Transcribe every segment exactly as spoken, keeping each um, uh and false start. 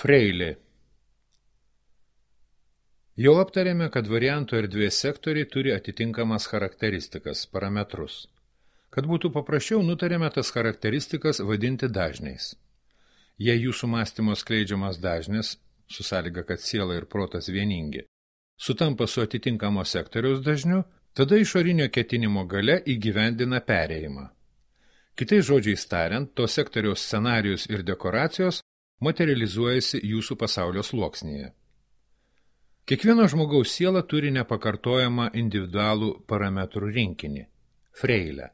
Freilė. Jau aptarėme, kad variantų erdvės sektoriai turi atitinkamas charakteristikas, parametrus. Kad būtų paprasčiau, nutarėme tas charakteristikas vadinti dažniais. Jei jūsų mąstymo skleidžiamas dažnis, su sąlyga, kad siela ir protas vieningi, sutampa su atitinkamo sektoriaus dažniu, tada išorinio ketinimo galia įgyvendina perėjimą. Kitais žodžiais tariant, to sektoriaus scenarijus ir dekoracijos materializuojasi jūsų pasaulio sluoksnyje. Kiekvieno žmogaus siela turi nepakartojamą individualų parametrų rinkinį – freilę.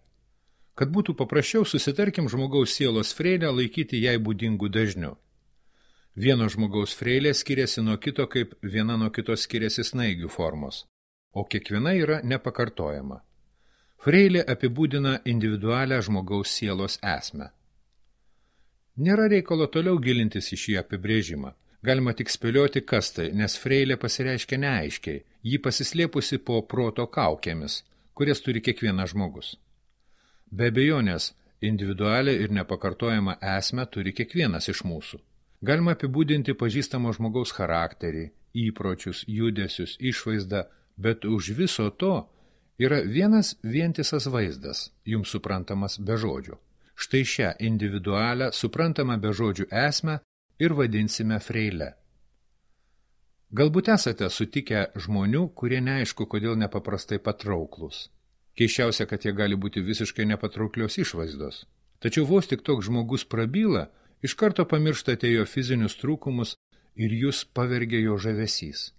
Kad būtų paprasčiau, susitarkim žmogaus sielos freilę laikyti jai būdingų dažnių. Vieno žmogaus freilė skiriasi nuo kito, kaip viena nuo kito skiriasi snaigių formos, o kiekviena yra nepakartojama. Freilė apibūdina individualią žmogaus sielos esmę. Nėra reikalo toliau gilintis į šį apibrėžimą. Galima tik spėlioti, kas tai, nes freilė pasireiškia neaiškiai, ji pasislėpusi po proto kaukėmis, kurias turi kiekvienas žmogus. Be abejonės, individualią ir nepakartojamą esmę turi kiekvienas iš mūsų. Galima apibūdinti pažįstamo žmogaus charakterį, įpročius, judesius, išvaizdą, bet už viso to yra vienas vientisas vaizdas, jums suprantamas be žodžių. Štai šią individualią, suprantamą be žodžių esmę ir vadinsime freile. Galbūt esate sutikę žmonių, kurie neaišku, kodėl nepaprastai patrauklus. Keiščiausia, kad jie gali būti visiškai nepatrauklios išvaizdos. Tačiau vos tik toks žmogus prabyla, iš karto pamirštate jo fizinius trūkumus ir jūs pavergia jo žavesys.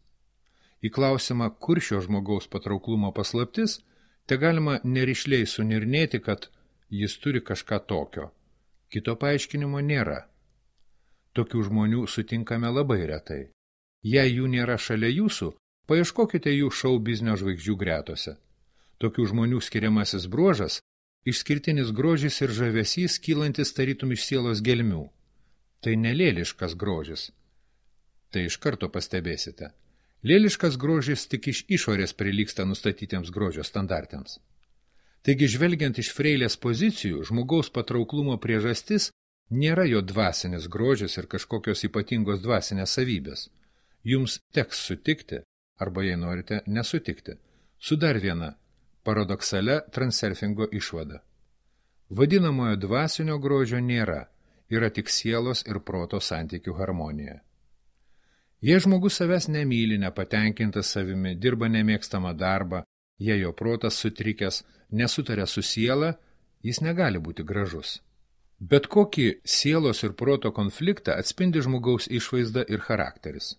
Į klausimą, kur šio žmogaus patrauklumo paslaptis, te galima nerišliai sunirnėti, kad jis turi kažką tokio. Kito paaiškinimo nėra. Tokių žmonių sutinkame labai retai. Jei jų nėra šalia jūsų, paieškokite jų šou biznio žvaigždžių gretose. Tokių žmonių skiriamasis bruožas – išskirtinis grožis ir žavesys, kylantis tarytum iš sielos gelmių. Tai nelėliškas grožis. Tai iš karto pastebėsite. Lėliškas grožis tik iš išorės prilygsta nustatytiems grožio standartams. Taigi, žvelgiant iš freilės pozicijų, žmogaus patrauklumo priežastis nėra jo dvasinis grožis ir kažkokios ypatingos dvasinės savybės. Jums teks sutikti, arba jei norite nesutikti, su dar viena paradoksalia transurfingo išvada. Vadinamojo dvasinio grožio nėra, yra tik sielos ir proto santykių harmonija. Jei žmogus savęs nemyli, nepatenkintas savimi, dirba nemėgstamą darbą, jei jo protas sutrikęs, nesutaria su siela, jis negali būti gražus. Bet kokį sielos ir proto konfliktą atspindi žmogaus išvaizda ir charakteris.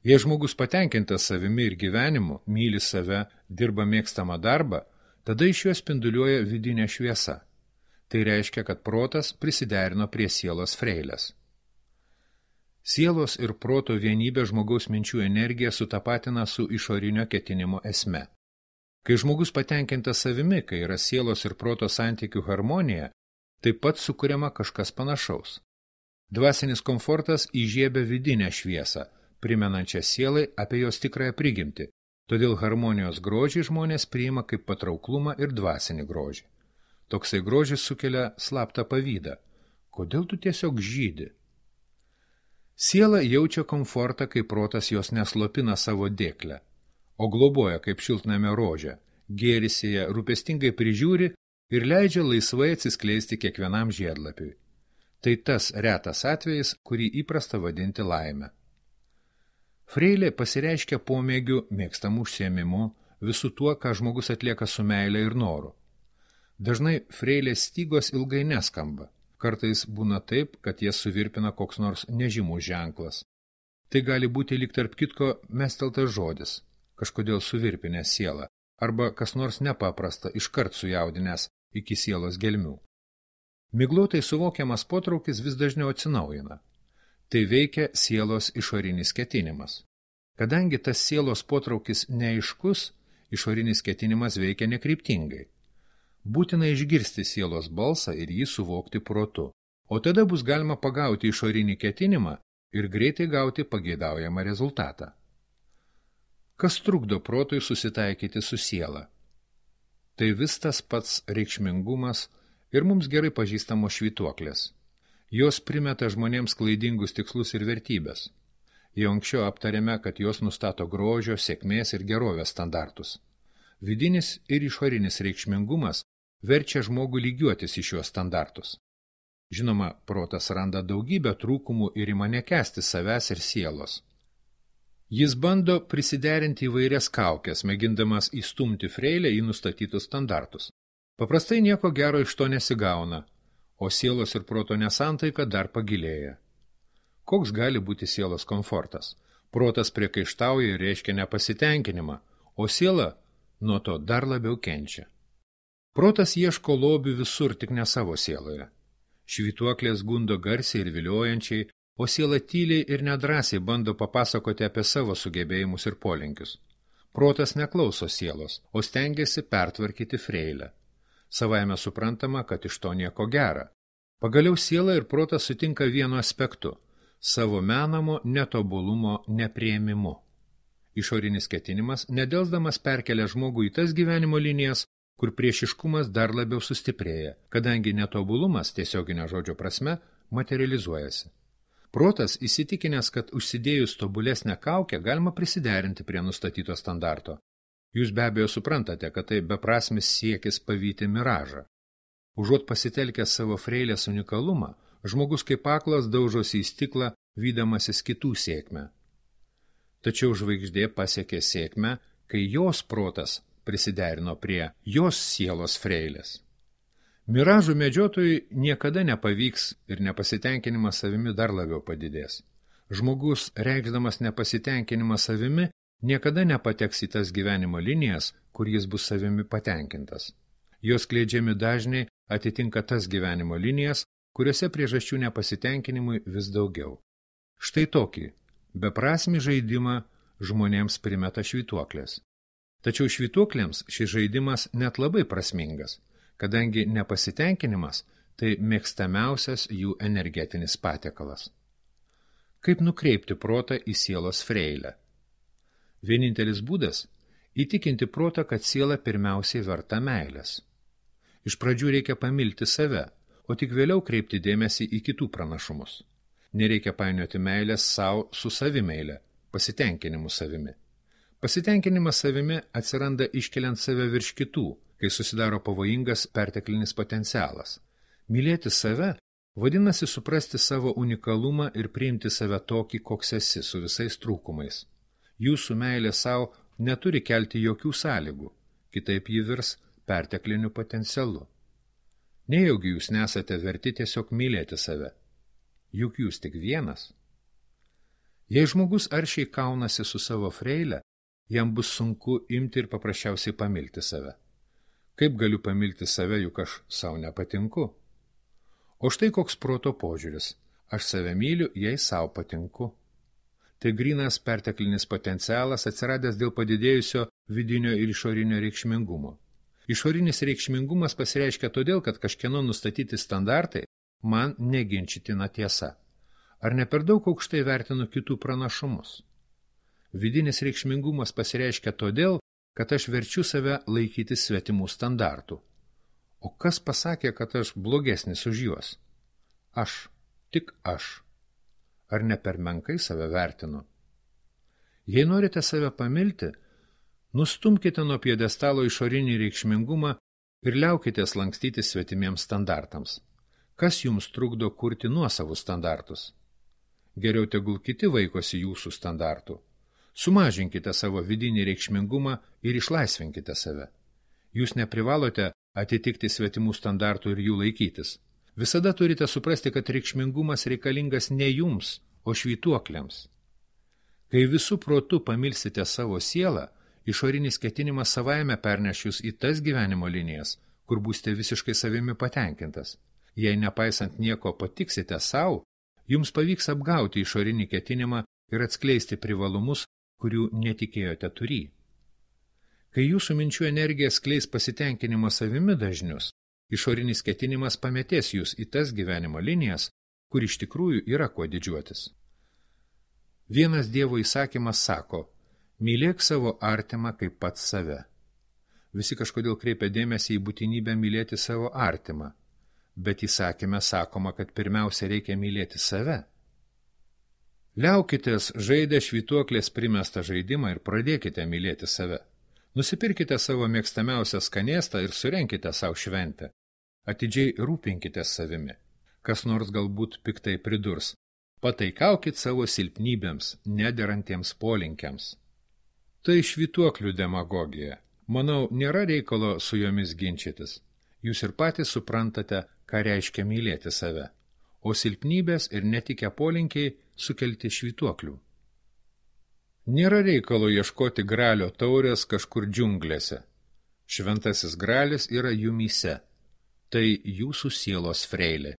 Jei žmogus patenkintas savimi ir gyvenimu, myli save, dirba mėgstamą darbą, tada iš jo spinduliuoja vidinė šviesa. Tai reiškia, kad protas prisiderino prie sielos freilės. Sielos ir proto vienybė žmogaus minčių energiją sutapatina su išorinio ketinimo esme. Kai žmogus patenkintas savimi, kai yra sielos ir proto santykių harmonija, taip pat sukuriama kažkas panašaus. Dvasinis komfortas įžiebia vidinę šviesą, primenančią sielai apie jos tikrąją prigimtį, todėl harmonijos grožį žmonės priima kaip patrauklumą ir dvasinį grožį. Toksai grožis sukelia slaptą pavydą. Kodėl tu tiesiog žydi? Siela jaučia komfortą, kai protas jos neslopina savo dėklę, o globoja kaip šiltnamio rožę, gėrisi ją, rūpestingai prižiūri ir leidžia laisvai atsiskleisti kiekvienam žiedlapiui. Tai tas retas atvejis, kurį įprasta vadinti laime. Freilė pasireiškia pomėgiu, mėgstamų užsiėmimu, visu tuo, ką žmogus atlieka su meile ir noru. Dažnai freilės stygos ilgai neskamba. Kartais būna taip, kad jas suvirpina koks nors nežymus ženklas. Tai gali būti lyg tarp kitko mesteltas žodis, kažkodėl suvirpinęs sielą, arba kas nors nepaprasta, iškart sujaudinęs iki sielos gelmių. Miglotai suvokiamas potraukis vis dažniau atsinaujina. Tai veikia sielos išorinis ketinimas. Kadangi tas sielos potraukis neaiškus, išorinis ketinimas veikia nekryptingai. Būtina išgirsti sielos balsą ir jį suvokti protu, o tada bus galima pagauti išorinį ketinimą ir greitai gauti pageidaujamą rezultatą. Kas trukdo protui susitaikyti su siela? Tai vis tas pats reikšmingumas ir mums gerai pažįstamos švytuoklės. Jos primeta žmonėms klaidingus tikslus ir vertybės. Jau anksčiau aptarėme, kad jos nustato grožio, sėkmės ir gerovės standartus. Vidinis ir išorinis reikšmingumas verčia žmogų lygiuotis į šiuos standartus. Žinoma, protas randa daugybę trūkumų ir ima nekęsti savęs ir sielos. Jis bando prisiderinti įvairias kaukės, mėgindamas įstumti freilę į nustatytus standartus. Paprastai nieko gero iš to nesigauna, o sielos ir proto nesantaika dar pagilėja. Koks gali būti sielos komfortas? Protas priekaištauja ir reiškia nepasitenkinimą, o siela nuo to dar labiau kenčia. Protas ieško lobių visur, tik ne savo sieloje. Švytuoklės gundo garsiai ir viliojančiai, o siela tyliai ir nedrąsiai bando papasakoti apie savo sugebėjimus ir polinkius. Protas neklauso sielos, o stengiasi pertvarkyti freilę. Savaime suprantama, kad iš to nieko gera. Pagaliau siela ir protas sutinka vienu aspektu – savo menamo netobulumo nepriėmimu. Išorinis ketinimas nedelsdamas perkelia žmogų į tas gyvenimo linijas, kur priešiškumas dar labiau sustiprėja, kadangi netobulumas tiesioginio žodžio prasme materializuojasi. Protas įsitikinęs, kad užsidėjus tobulesnę kaukę galima prisiderinti prie nustatyto standarto. Jūs be abejo suprantate, kad tai beprasmis siekis pavyti miražą. Užuot pasitelkęs savo freilės unikalumą, žmogus kaip aklas daužosi į stiklą, vydamasis kitų sėkmę. Tačiau žvaigždė pasiekė sėkmę, kai jos protas prisiderino prie jos sielos freilės. Miražų medžiotojui niekada nepavyks ir nepasitenkinimas savimi dar labiau padidės. Žmogus, reikšdamas nepasitenkinimą savimi, niekada nepateks į tas gyvenimo linijas, kur jis bus savimi patenkintas. Jos skleidžiami dažniai atitinka tas gyvenimo linijas, kuriuose priežasčių nepasitenkinimui vis daugiau. Štai tokį beprasmį žaidimą žmonėms primeta švytuoklės. Tačiau švytuoklėms šis žaidimas net labai prasmingas, kadangi nepasitenkinimas tai mėgstamiausias jų energetinis patiekalas. Kaip nukreipti protą į sielos freilę? Vienintelis būdas – įtikinti protą, kad siela pirmiausiai verta meilės. Iš pradžių reikia pamilti save, o tik vėliau kreipti dėmesį į kitų pranašumus. Nereikia painioti meilės savo su savimeile, pasitenkinimu savimi. Pasitenkinimas savimi atsiranda iškeliant save virš kitų, kai susidaro pavojingas perteklinis potencialas. Mylėti save vadinasi suprasti savo unikalumą ir priimti save tokį, koks esi, su visais trūkumais. Jūsų meilė savo neturi kelti jokių sąlygų, kitaip ji virs pertekliniu potencialu. Nejaugi jūs nesate verti tiesiog mylėti save. Juk jūs tik vienas. Jei žmogus aršiai kaunasi su savo freile, jam bus sunku imti ir paprasčiausiai pamilti save. Kaip galiu pamilti save, juk aš savo nepatinku? O štai koks proto požiūris. Aš save myliu, jei savo patinku. Tai grynas perteklinis potencialas atsiradęs dėl padidėjusio vidinio ir išorinio reikšmingumo. Išorinis reikšmingumas pasireiškia todėl, kad kažkieno nustatyti standartai man neginčytina tiesa. Ar ne per daug aukštai vertinu kitų pranašumus? Vidinis reikšmingumas pasireiškia todėl, kad aš verčiu save laikyti svetimų standartų. O kas pasakė, kad aš blogesnis už juos? Aš, tik aš. Ar ne per menkai save vertinu? Jei norite save pamilti, nustumkite nuo pjedestalo išorinį reikšmingumą ir liaukitės lankstyti svetimiems standartams. Kas jums trukdo kurti nuosavus standartus? Geriau tegul kiti vaikosi jūsų standartų. Sumažinkite savo vidinį reikšmingumą ir išlaisvinkite save. Jūs neprivalote atitikti svetimų standartų ir jų laikytis. Visada turite suprasti, kad reikšmingumas reikalingas ne jums, o švytuokliams. Kai visų protų pamilsite savo sielą, išorinis ketinimas savaime perneš jūs į tas gyvenimo linijas, kur būsite visiškai savimi patenkintas. Jei nepaisant nieko patiksite savo, jums pavyks apgauti išorinį ketinimą ir atskleisti privalumus, kurių netikėjote turį. Kai jūsų minčių energija skleis pasitenkinimo savimi dažnius, išorinis ketinimas pametės jūs į tas gyvenimo linijas, kur iš tikrųjų yra kuo didžiuotis. Vienas Dievo įsakymas sako, mylėk savo artimą kaip pats save. Visi kažkodėl kreipia dėmesį į būtinybę mylėti savo artimą. Bet įsakyme sakoma, kad pirmiausia reikia mylėti save. Liaukitės žaidę švytuoklės primestą žaidimą ir pradėkite mylėti save. Nusipirkite savo mėgstamiausią skanėstą ir surenkite savo šventę. Atidžiai rūpinkite savimi. Kas nors galbūt piktai pridurs. Pataikaukit savo silpnybėms, nederantiems polinkiams. Tai švytuoklių demagogija. Manau, nėra reikalo su jomis ginčytis. Jūs ir patys suprantate, ką reiškia mylėti save. O silpnybės ir netikę polinkiai sukelti švytuoklių. Nėra reikalo ieškoti gralio taurės kažkur džiunglėse. Šventasis gralis yra jumyse. Tai jūsų sielos freilė.